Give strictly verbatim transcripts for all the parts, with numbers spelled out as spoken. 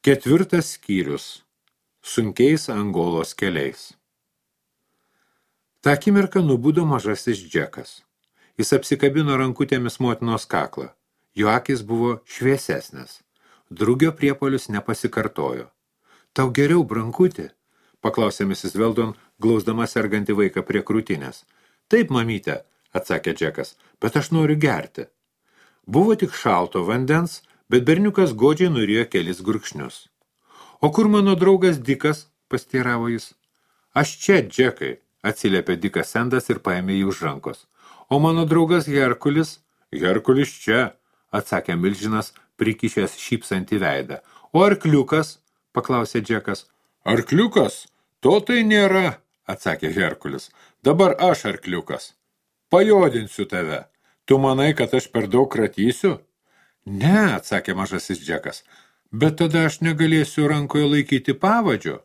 Ketvirtas skyrius. Sunkiais Angolos keliais. Ta akimirką nubudo mažasis Džekas. Jis apsikabino rankutėmis motinos kaklą. Jo akis buvo šviesesnės. Drugio priepuolis nepasikartojo. Tau geriau, brankutė? Paklausė misis Weldon, glausdama sergantį vaiką prie krūtinės. Taip, mamyte, atsakė Džekas, bet aš noriu gerti. Buvo tik šalto vandens, bet berniukas godžiai nurijo kelis gurkšnius. O kur mano draugas Dikas, pasteiravo jis. Aš čia, Džekai, atsiliepė Dikas Sendas ir paėmė jį už rankos. O mano draugas Herkulis? Herkulis čia, atsakė milžinas, prikišęs šypsantį veidą. O arkliukas? Paklausė Džekas. Arkliukas? To tai nėra, atsakė Herkulis. Dabar aš arkliukas. Pajodinsiu tave. Tu manai, kad aš per daug kratysiu? Ne, atsakė mažasis Džekas. Bet tada aš negalėsiu rankoje laikyti pavadžio.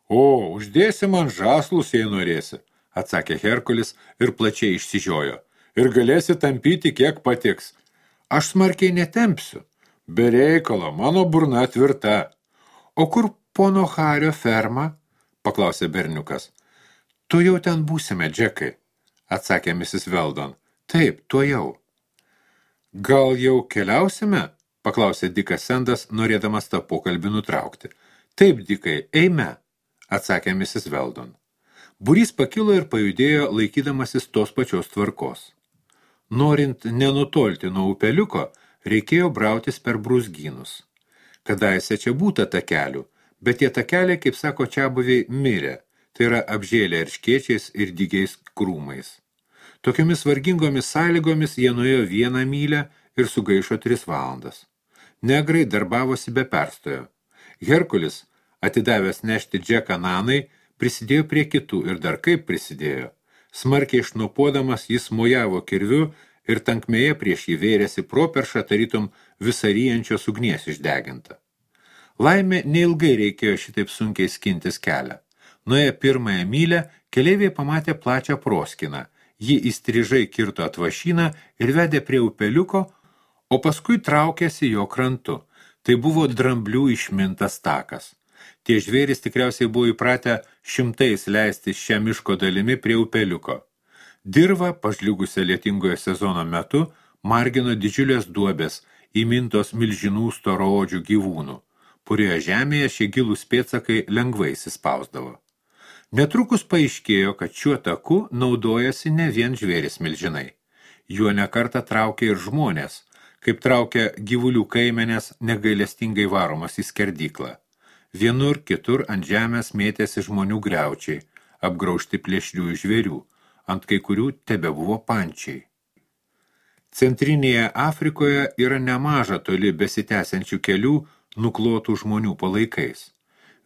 O, uždėsi man žaslus, jei norėsi, atsakė Herkulis ir plačiai išsižiojo. Ir galėsi tampyti, kiek patiks. Aš smarkiai netempsiu. Be reikalo, mano burna tvirta. O kur pono Hario ferma? Paklausė berniukas. Tu jau ten būsime, Džekai, atsakė misis Weldon. Taip, tuo jau. Gal jau keliausime? Paklausė Dikas Sendas, norėdamas tą pokalbį nutraukti. Taip, Dikai, eime, atsakė misis Weldon. Būrys pakilo ir pajudėjo laikydamasis tos pačios tvarkos. Norint nenutolti nuo upeliuko, reikėjo brautis per brūzgynus. Kadaise čia būta takelių, bet tie takeliai, kaip sako čiabuviai, mirė, tai yra apžėlę erškėčiais ir dygiais krūmais. Tokiomis vargingomis sąlygomis jie nuėjo vieną mylę ir sugaišo tris valandas. Negrai darbavosi be perstojo. Herkulis, atidavęs nešti Džeką Nanai, prisidėjo prie kitų ir dar kaip prisidėjo. Smarkiai išnuopuodamas jis mojavo kirviu ir tankmėje prieš jį vėrėsi properšą tarytum visaryjančios ugnies išdeginta. Laimė neilgai reikėjo šitaip sunkiai skintis kelią. Nuėję pirmąją mylę, keleiviai pamatė plačią proskiną. Ji įstrižai kirto atvašyną ir vedė prie upeliuko, o paskui traukėsi jo krantu. Tai buvo dramblių išmintas takas. Tie žvėrys tikriausiai buvo įpratę šimtais leisti šią miško dalimi prie upeliuko. Dirva, pažliugusią lietingojo sezono metu, margino didžiulės duobės, įmintos milžinų storaodžių gyvūnų. Purioje žemėje šie gilūs pėdsakai lengvai įsispausdavo. Netrukus paaiškėjo, kad šiuo taku naudojasi ne vien žvėris milžinai. Juo nekartą traukė ir žmonės, kaip traukia gyvulių kaimenės negailestingai varomas į skerdyklą. Vienur, kitur ant žemės mėtėsi žmonių griaučiai, apgraužti plėšriųjų žvėrių, ant kai kurių tebe buvo pančiai. Centrinėje Afrikoje yra nemaža toli besitęsiančių kelių nuklotų žmonių palaikais.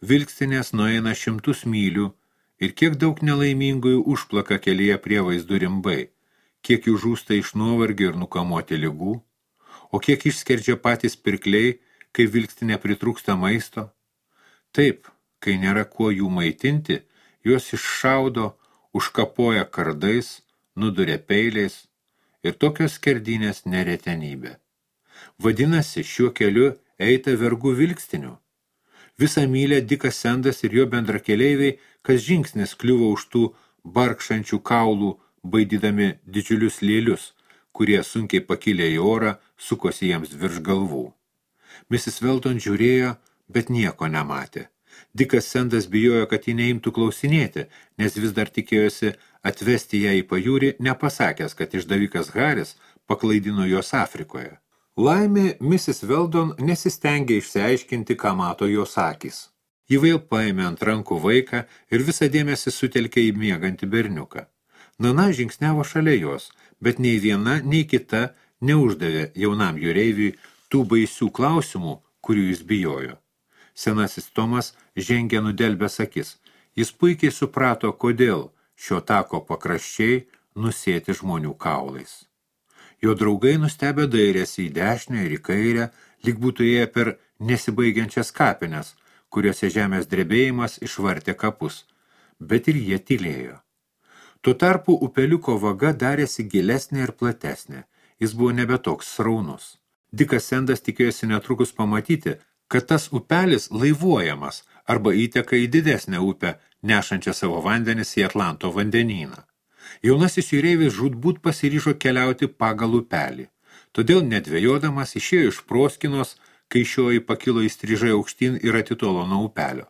Vilkstinės nueina šimtus mylių ir kiek daug nelaimingųjų užplaka kelyje prie vaizdų rimbai, kiek jų žūsta iš nuovargio ir nukamuoti ligų, o kiek išskerdžia patys pirkliai, kai vilkstinė pritrūksta maisto. Taip, kai nėra kuo jų maitinti, juos iššaudo, užkapoja kardais, nuduria peiliais ir tokios skerdynės neretenybė. Vadinasi, šiuo keliu eita vergų vilkstinių. Visą mylę Dikas Sendas ir jo bendrakeleiviai, kas žingsnis kliuvo už tų barkšančių kaulų, baidydami didžiulius lėlius, kurie sunkiai pakilę į orą, sukosi jiems virš galvų. misis Weldon žiūrėjo, bet nieko nematė. Dikas Sendas bijojo, kad jį neimtų klausinėti, nes vis dar tikėjosi atvesti ją į pajūrį, nepasakęs, kad išdavikas Haris paklaidino jos Afrikoje. Laimė, misis Weldon nesistengė išsiaiškinti, ką mato jos akys. Ji vėl paėmė ant rankų vaiką ir visą dėmesį sutelkė į miegantį berniuką. Nana žingsniavo šalia jos, bet nei viena, nei kita neuždavė jaunam jūreiviui tų baisių klausimų, kurių jis bijojo. Senasis Tomas žengė nudelbęs akis. Jis puikiai suprato, kodėl šio tako pakraščiai nusėti žmonių kaulais. Jo draugai nustebę dairėsi į dešinę ir į kairę, lyg būtų ėję per nesibaigiančias kapines, kuriuose žemės drebėjimas išvartė kapus, bet ir jie tylėjo. Tuo tarpu upeliuko vaga darėsi gilesnė ir platesnė. Jis buvo nebe toks sraunus. Dikas Sendas tikėjosi netrukus pamatyti, kad tas upelis laivuojamas arba įteka į didesnę upę, nešančią savo vandenis į Atlanto vandenyną. Jaunasis jūreivis žūtbūt pasiryžo keliauti pagal upelį, todėl nedvejodamas išėjo iš proskinos, kai šioji pakilo įstrižai aukštyn ir atitolo nuo upelio.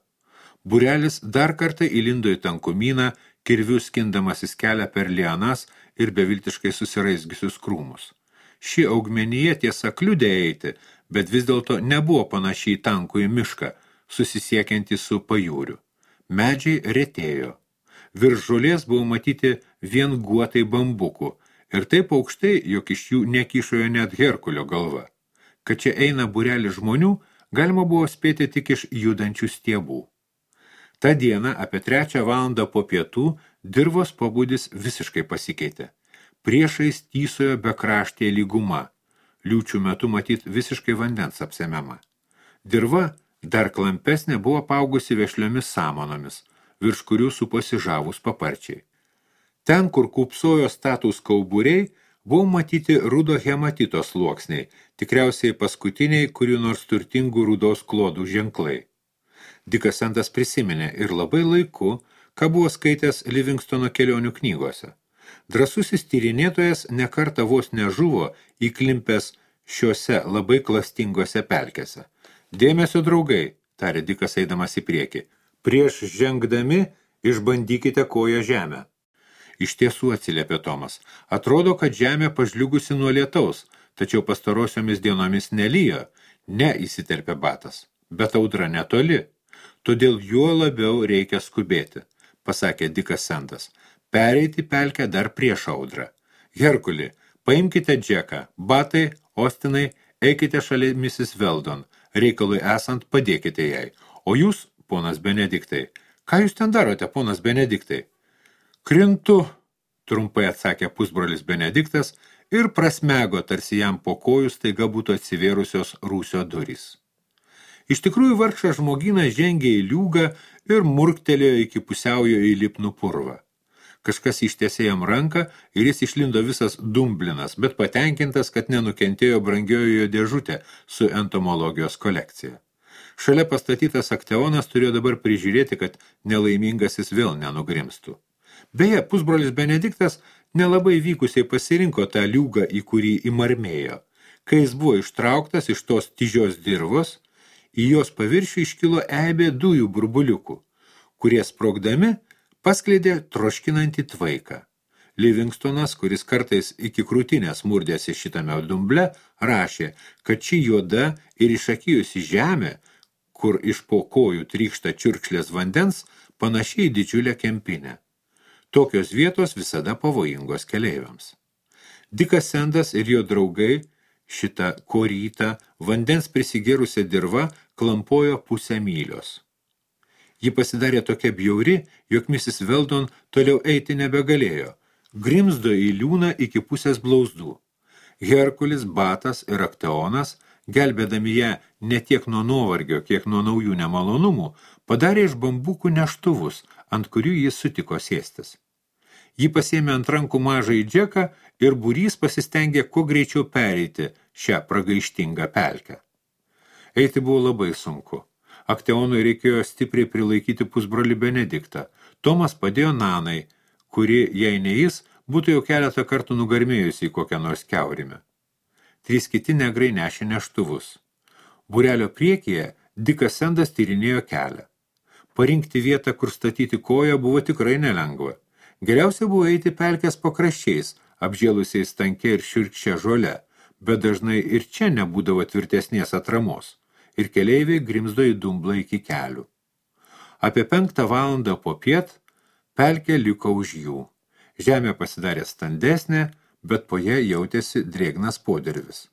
Būrelis dar kartą įlindo į tankumyną, kirviu skindamasis kelią per lianas ir beviltiškai susiraizgiusius krūmus. Ši augmenija tiesa kliudė eiti, bet vis dėlto nebuvo panašiai tankų į mišką, susisiekiantį su pajūriu. Medžiai retėjo. Virš žolės buvo matyti vien guotai bambukų ir taip aukštai, jog iš jų nekyšojo net Herkulio galva. Kad čia eina būrelis žmonių, galima buvo spėti tik iš judančių stiebų. Ta diena apie trečią valandą po pietų dirvos pobūdis visiškai pasikeitė. Priešais tysojo bekraštė lyguma, liūčių metu matyt visiškai vandens apsemiama. Dirva dar klampesnė buvo paugusi vešliomis samanomis, virš kurių suposi žavūs paparčiai. Ten, kur kūpsojo statūs kauburiai, buvo matyti rudo hematito sluoksniai, tikriausiai paskutiniai kurių nors turtingų rudos klodų ženklai. Dikas Sendas prisiminė ir labai laiku, ką buvo skaitęs Livingstono kelionių knygose. Drąsusis tyrinėtojas nekartą vos nežuvo įklimpęs šiuose labai klastingose pelkėse. Dėmesio, draugai, tarė Dikas eidamas į priekį, prieš žengdami išbandykite koją žemę. Iš tiesų, atsiliepė Tomas, atrodo, kad žemė pažliugusi nuo lietaus, tačiau pastarosiomis dienomis nelijo, ne įsiterpė Batas, bet audra netoli, todėl juo labiau reikia skubėti, pasakė Dikas Sendas, pereiti pelkę dar prieš audrą. Herkuli, paimkite Džeką, Batai, Ostinai, eikite šalia misis Veldon, reikalui esant padėkite jai, o jūs, ponas Benediktai, ką jūs ten darote, ponas Benediktai? Krintu, trumpai atsakė pusbrolis Benediktas ir prasmego, tarsi jam po kojų staiga būtų atsivėrusios rūsio durys. Iš tikrųjų vargšas žmogynas žengė į liūgą ir murktelėjo iki pusiaujo į lipnų purvą. Kažkas ištiesė jam ranką ir jis išlindo visas dumblinas, bet patenkintas, kad nenukentėjo brangiojo dėžutė su entomologijos kolekcija. Šalia pastatytas akteonas turėjo dabar prižiūrėti, kad nelaimingasis vėl nenugrimstų. Beje, pusbrolis Benediktas nelabai vykusiai pasirinko tą liūgą, į kurį įmarmėjo. Kai jis buvo ištrauktas iš tos tyžios dirvos, į jos paviršių iškilo eibė dujų burbuliukų, kurie sprogdami paskleidė troškinantį tvaiką. Livingstonas, kuris kartais iki krūtinės murdėsi šitame dumble, rašė, kad ši juoda ir išakijusi žemė, kur iš po kojų trykšta čiurkšlės vandens, panašiai didžiulę kempinę. Tokios vietos visada pavojingos keleiviams. Dikas Sendas ir jo draugai šitą korytą vandens prisigėrusią dirvą klampojo pusę mylios. Ji pasidarė tokia bjauri, jog misis Veldon toliau eiti nebegalėjo, grimzdo į liūną iki pusės blauzdų. Herkulis, Batas ir Akteonas, gelbėdami ją ne tiek nuo nuovargio, kiek nuo naujų nemalonumų, padarė iš bambukų neštuvus, ant kurių jis sutiko sėstis. Jį pasėmė ant rankų mažą į Džeką ir būrys pasistengė kuo greičiau pereiti šią pragaištingą pelkę. Eiti buvo labai sunku. Akteonui reikėjo stipriai prilaikyti pusbrolį Benediktą. Tomas padėjo Nanai, kuri, jei ne jis, būtų jau keletą kartų nugarmėjusi į kokią nors kiaurimę. Trys kiti negrai nešė neštuvus. Būrelio priekyje Dikas Sendas tyrinėjo kelią. Parinkti vietą, kur statyti koją, buvo tikrai nelengva. Geriausia buvo eiti pelkės pakraščiais, apžėlusiais tanke ir šiurkščia žole, bet dažnai ir čia nebūdavo tvirtesnės atramos, ir keleiviai grimzdo į dumblą iki kelių. Apie penktą valandą po piet pelkė liko už jų. Žemė pasidarė standesnė, bet po ją jautėsi drėgnas podirvis.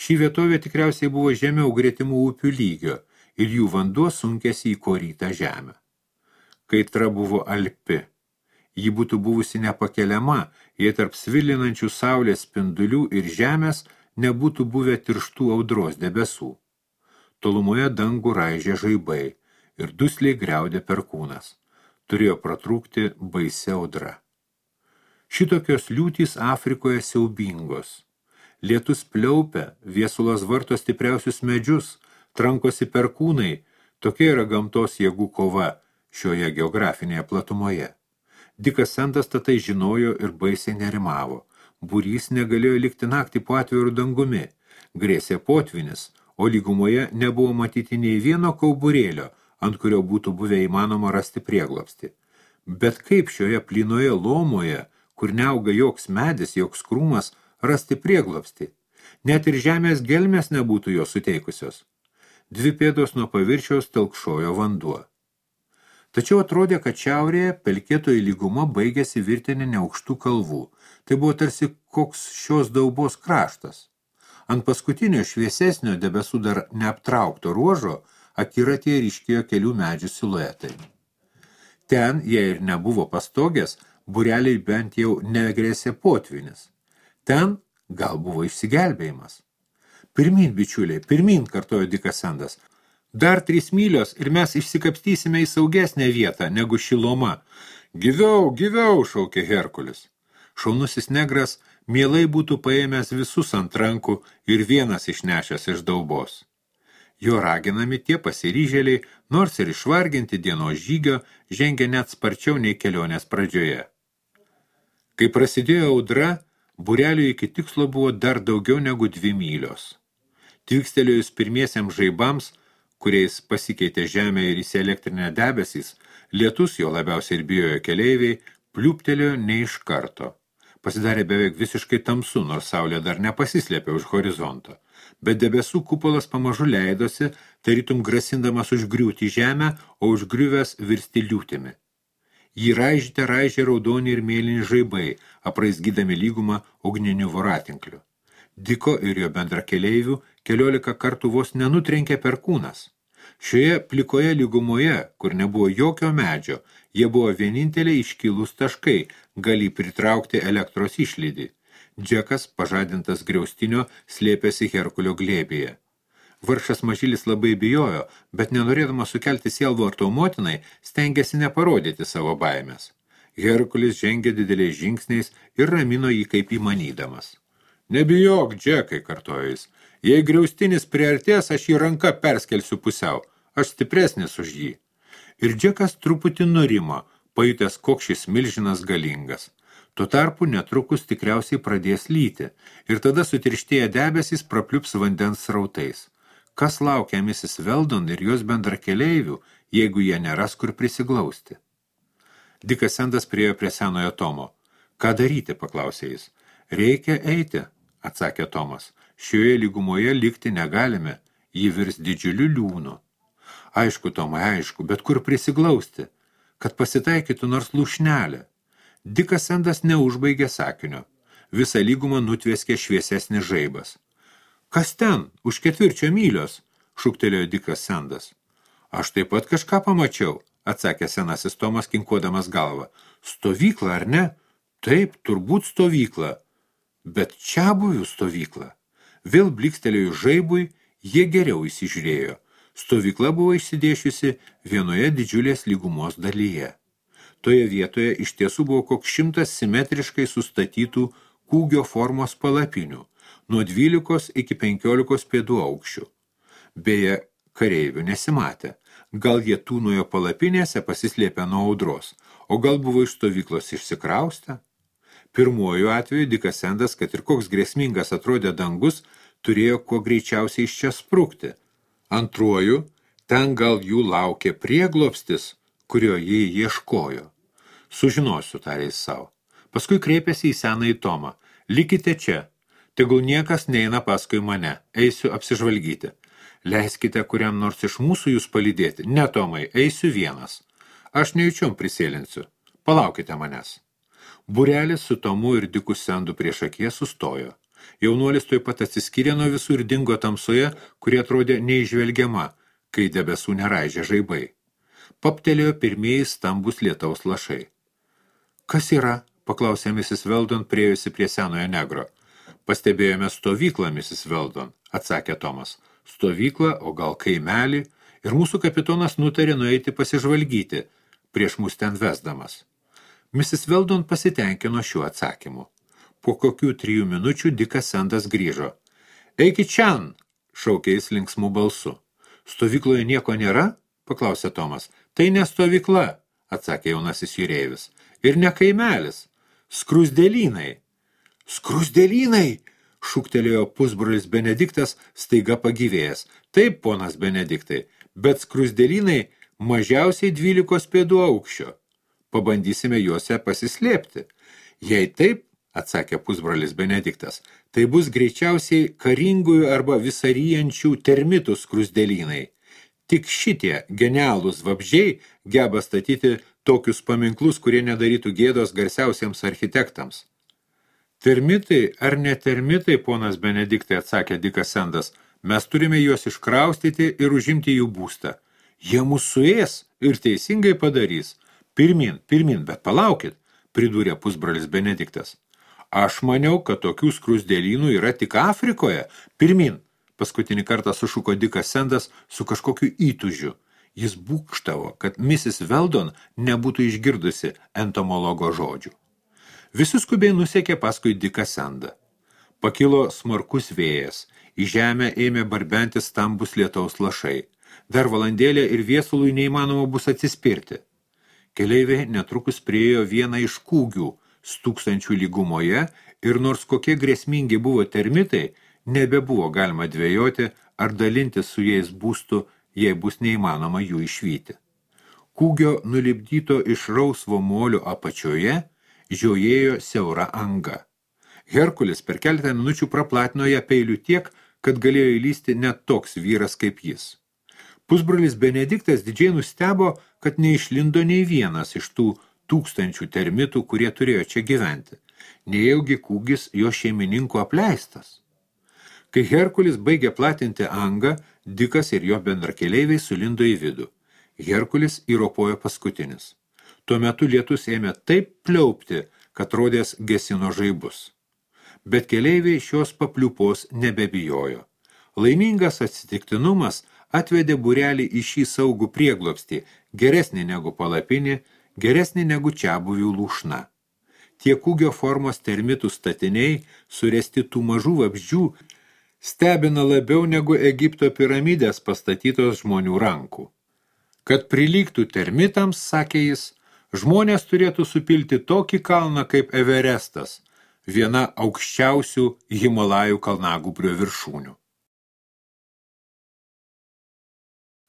Šį vietovė tikriausiai buvo žemiau gretimų upių lygio ir jų vanduo sunkėsi į korytą žemę. Kaitra buvo alpi. Ji būtų buvusi nepakeliama, jei tarp svilinančių saulės spindulių ir žemės nebūtų buvę tirštų audros debesų. Tolumoje dangų raižė žaibai ir dusliai griaudė perkūnas. Turėjo pratrūkti baisi audra. Šitokios liūtys Afrikoje siaubingos. Lietus pliaupia, viesulas varto stipriausius medžius, trankosi perkūnai, tokia yra gamtos jėgų kova šioje geografinėje platumoje. Dikas Sandas tatai žinojo ir baisiai nerimavo. Būrys negalėjo likti naktį po atvirų dangumi. Grėsė potvinis, o lygumoje nebuvo matyti nei vieno kauburėlio, ant kurio būtų buvę įmanoma rasti prieglobstį. Bet kaip šioje plynoje lomoje, kur neauga joks medis, joks krūmas, rasti prieglobstį? Net ir žemės gelmės nebūtų jo suteikusios. Dvi pėdos nuo paviršiaus telkšojo vanduo. Tačiau atrodė, kad šiaurėje pelkėtoji lyguma baigėsi virtinė neaukštų kalvų. Tai buvo tarsi koks šios daubos kraštas. Ant paskutinio šviesesnio debesų dar neaptraukto ruožo akiratyje ryškėjo kelių medžių siluetai. Ten, jei ir nebuvo pastogės, būreliai bent jau negrėsė potvinis. Ten gal buvo išsigelbėjimas. Pirmyn, bičiuliai, pirmyn, kartojo Dikas Sandas. Dar trys mylios ir mes išsikapstysime į saugesnę vietą negu Šiloma. Gyviau, gyviau, šaukė Herkulis. Šaunusis negras mielai būtų paėmęs visus ant rankų ir vienas išnešęs iš daubos. Jo raginami tie pasiryžėliai, nors ir išvarginti dienos žygio, žengė net sparčiau nei kelionės pradžioje. Kai prasidėjo audra, būreliui iki tikslo buvo dar daugiau negu dvi mylios. Tvikstelėjus pirmiesiems žaibams, kuriais pasikeitė žemė ir įsielektrinę debesys, lietus, jo labiausiai ir bijojo keleiviai, pliūptelėjo ne iš karto. Pasidarė beveik visiškai tamsu, nors saulė dar nepasislėpė už horizonto. Bet debesų kupolas pamažu leidosi, tarytum grasindamas užgriūti žemę, o užgriuvęs virsti liūtimi. Jį raižyte raižė raudoni ir mėlyni žaibai, apraizgydami lygumą ugniniu voratinkliu. Diko ir jo bendrakeleivių keliolika kartų vos nenutrenkė perkūnas. Šioje plikoje lygumoje, kur nebuvo jokio medžio, jie buvo vieninteliai iškilūs taškai, gali pritraukti elektros išlydį. Džekas, pažadintas griaustinio, slėpėsi Herkulio glėbyje. Vargšas mažylis labai bijojo, bet nenorėdamas sukelti sielvarto motinai, stengėsi neparodyti savo baimės. Herkulis žengė dideliais žingsniais ir ramino jį kaip įmanydamas. Nebijok, Džekai, kartojo jis. Jei griaustinis priartės, aš jį ranka perskelsiu pusiau. Aš stipresnis už jį. Ir Džekas truputį nurimo, pajutęs, koks šis milžinas galingas. Tuo tarpu netrukus tikriausiai pradės lyti, ir tada sutirštėję debesys prapliups vandens srautais. Kas laukia misis Weldon ir jos bendrakeleivių, jeigu jie neras kur prisiglausti? Dikas Sandas priėjo prie senojo Tomo. Ką daryti, paklausė jis. Reikia eiti, atsakė Tomas. Šioje lygumoje likti negalime, ji virs didžiuliu liūnu. Aišku, Tomai, aišku, bet kur prisiglausti, kad pasitaikytų nors lūšnelė. Dikas Sandas neužbaigė sakinio. Visą lygumą nutvėskė šviesesnis žaibas. Kas ten, už ketvirčio mylios, šūktelėjo Dikas Sandas. Aš taip pat kažką pamačiau, atsakė senasis Tomas, kinkuodamas galvą. Stovykla, ar ne? Taip, turbūt stovykla. Bet čia buvių stovykla. Vėl blikstelėjus žaibui, jie geriau įsižiūrėjo. Stovykla buvo išsidėšiusi vienoje didžiulės lygumos dalyje. Toje vietoje iš tiesų buvo koks šimtas simetriškai sustatytų kūgio formos palapinių, nuo dvylikos iki penkiolikos pėdų aukščių. Beje, kareivių nesimatė. Gal jie tūnojo palapinėse pasislėpę nuo audros, o gal buvo iš stovyklos išsikraustę? Pirmuoju atveju Dikas Sandas, kad ir koks grėsmingas atrodė dangus, turėjo kuo greičiausiai iš čia sprukti. Antruoju, ten gal jų laukė prieglobstis, kurio jie ieškojo. Sužinosiu, tarė jis savo. Paskui kreipėsi į senąjį Tomą. Likite čia. Tegul niekas neina paskui mane. Eisiu apsižvalgyti. Leiskite kuriam nors iš mūsų jūs palydėti. Ne, Tomai, eisiu vienas. Aš nejučiom prisėlinsiu. Palaukite manęs. Būrelis su Tomu ir Diku Sandu prieš akies sustojo. Jaunuolis tuoj pat atsiskyrė nuo visų ir dingo tamsoje, kurie atrodė neižvelgiama, kai debesų neraižė žaibai. Paptelėjo pirmieji stambus lietaus lašai. Kas yra? Paklausė misis Weldon, priėjusi prie senojo negro. Pastebėjome stovyklą, misis Weldon, atsakė Tomas. Stovyklą, o gal kaimelį, ir mūsų kapitonas nutarė nueiti pasižvalgyti, prieš mus ten vesdamas. misis Weldon pasitenkino šiuo atsakymu. Po kokių trijų minučių Dikas Sandas grįžo. Eikit čian, šaukė jis linksmų balsu. Stovykloje nieko nėra? Paklausė Tomas. Tai ne stovykla, atsakė jaunasis jūreivis. Ir ne kaimelis. Skrusdėlynai. Skrusdėlynai, šūktelėjo pusbrolis Benediktas, staiga pagyvėjęs. Taip, ponas Benediktai, bet skrusdėlynai mažiausiai dvylikos pėdų aukščio. Pabandysime juose pasislėpti. Jei taip, atsakė pusbrolis Benediktas, tai bus greičiausiai karingųjų arba visaryjančių termitų skrusdėlynai. Tik šitie genialūs vabzdžiai geba statyti tokius paminklus, kurie nedarytų gėdos garsiausiems architektams. Termitai ar ne termitai, ponas Benediktai, atsakė Dikas Sendas, mes turime juos iškraustyti ir užimti jų būstą. Jie mus suės ir teisingai padarys. Pirmin, pirmin, bet palaukit, pridūrė pusbrolis Benediktas. Aš maniau, kad tokių skrusdėlynų yra tik Afrikoje. Pirmin, paskutinį kartą sušuko Dikas Sendas su kažkokiu įtūžiu. Jis būkštavo, kad misis Veldon nebūtų išgirdusi entomologo žodžių. Visi skubiai nusekė paskui Diką Sendą. Pakilo smarkus vėjas, į žemę ėmė barbenti stambus lietaus lašai. Dar valandėlė ir viesului neįmanoma bus atsispirti. Keleiviai netrukus priėjo vieną iš kūgių, stūksančių lygumoje, ir nors kokie grėsmingi buvo termitai, nebebuvo galima dvejoti ar dalinti su jais būstu, jei bus neįmanoma jų išvyti. Kūgio nulipdyto iš rausvo molio apačioje žiojėjo siaura anga. Herkulis per keletą minučių praplatino ją peiliu tiek, kad galėjo įlysti net toks vyras kaip jis. Pusbrolis Benediktas didžiai nustebo, kad neišlindo nei vienas iš tų tūkstančių termitų, kurie turėjo čia gyventi. Nejaugi kūgis jo šeimininkų apleistas. Kai Herkulis baigė platinti angą, Dikas ir jo bendrakeleiviai sulindo į vidų. Herkulis įropojo paskutinis. Tuo metu lietus ėmė taip pliaupti, kad rodės gesino žaibus. Bet keleiviai šios papliupos nebebijojo. Laimingas atsitiktinumas atvedė būrelį į šį saugų prieglobstį, geresnį negu palapinį, geresnį negu čiabuvių lūšna. Tie kūgio formos termitų statiniai, suresti tų mažų vabzdžių, stebina labiau negu Egipto piramidės pastatytos žmonių rankų. Kad prilygtų termitams, sakė jis, žmonės turėtų supilti tokį kalną kaip Everestas, viena aukščiausių Himalajų kalnagūbrio viršūnių.